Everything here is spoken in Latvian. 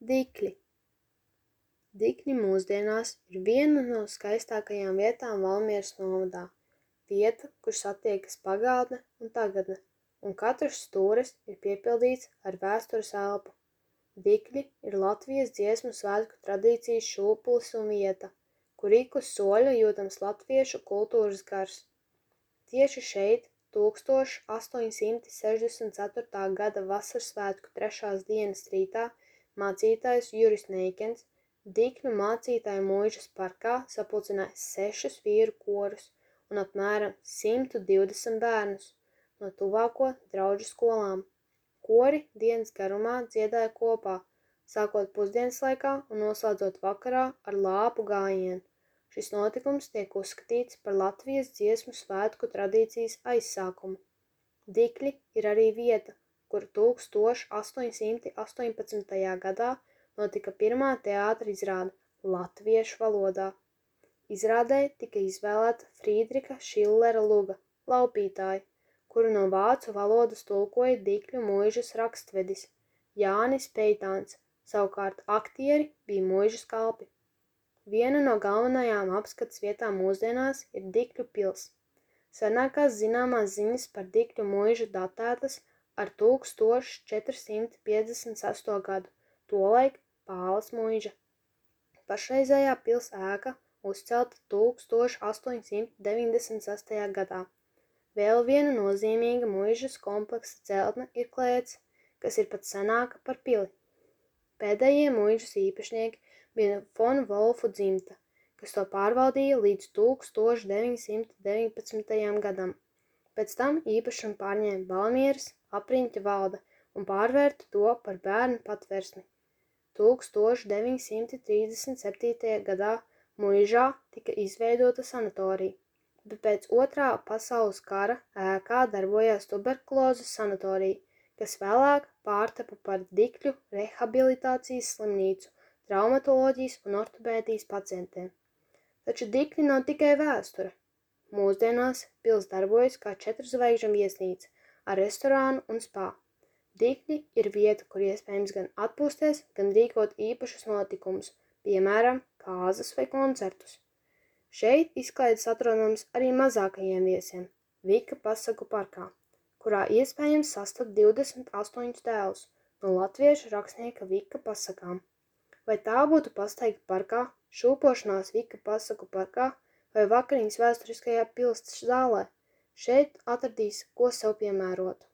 Dikļi. Dikļi mūsdienās ir viena no skaistākajām vietām Valmieras novadā. Vieta, kur satiekas pagātne un tagadne, un katrs stūris ir piepildīts ar vēstures elpu. Dikļi ir Latvijas dziesmu svētku tradīcijas šūpulis un vieta, kur ik uz soļa jūtams latviešu kultūras gars. Tieši šeit 1864. gada vasaras svētku 3. dienas rītā mācītājs Juris Neikens Dikļu mācītāju mūžas parkā sapulcināja 6 vīru korus un apmēram 120 bērnus no tuvāko drauģu skolām. Kori dienas garumā dziedāja kopā, sākot pusdienas laikā un noslēdzot vakarā ar lāpu gājienu. Šis notikums tiek uzskatīts par Latvijas dziesmu svētku tradīcijas aizsākumu. Dikļi ir arī vieta, kur 1818. gadā notika pirmā teātra izrāde latviešu valodā. Izrādē tika izvēlēta Frīdriha Šillera luga Laupītāji, kuru no vācu valodas tulkoja Dikļu mūžas rakstvedis Jānis Peitāns, savukārt aktieri bija mūžas kalpi. Viena no galvenajām apskates vietām mūsdienās ir Dikļu pils. Senākās zināmās ziņas par Dikļu mūžu datētas ar 1456. gadu, tolaik Pāles mūža. Pašreizējā pils ēka uzcelta 1896. gadā. Vēl viena nozīmīga mūžas kompleksa celtne ir Klēts, kas ir pat senāka par pili. Pēdējie mūžas īpašnieki bija Fon Volfu dzimta, kas to pārvaldīja līdz 1919. gadam. Pēc tam īpašumu pārņēma Valmieras apriņķa valde un pārvērta to par bērnu patversmi. 1937. gadā mūžā tika izveidota sanatorija, bet pēc Otrā pasaules kara ēkā darbojās tuberkulozes sanatorija, kas vēlāk pārtapa par Dikļu rehabilitācijas slimnīcu traumatoloģijas un ortopēdijas pacientiem. Taču Dikļi nav tikai vēsture. Mūsdienās pils darbojas kā 4 zvaigžņu viesnīca ar restorānu un spā. Dikļi ir vieta, kur iespējams gan atpūsties, gan rīkot īpašus notikumus, piemēram, kāzas vai koncertus. Šeit izklaides atrodams arī mazākajiem viesiem Vika pasaku parkā, kurā iespējams sastapt 28 tēlus no latviešu rakstnieka Vika pasakām. Vai tā būtu pasteigta parkā, šūpošanās Vika pasaku parkā vai vakariņas vēsturiskajā pils zālē, šeit atradīs, ko sev piemērot.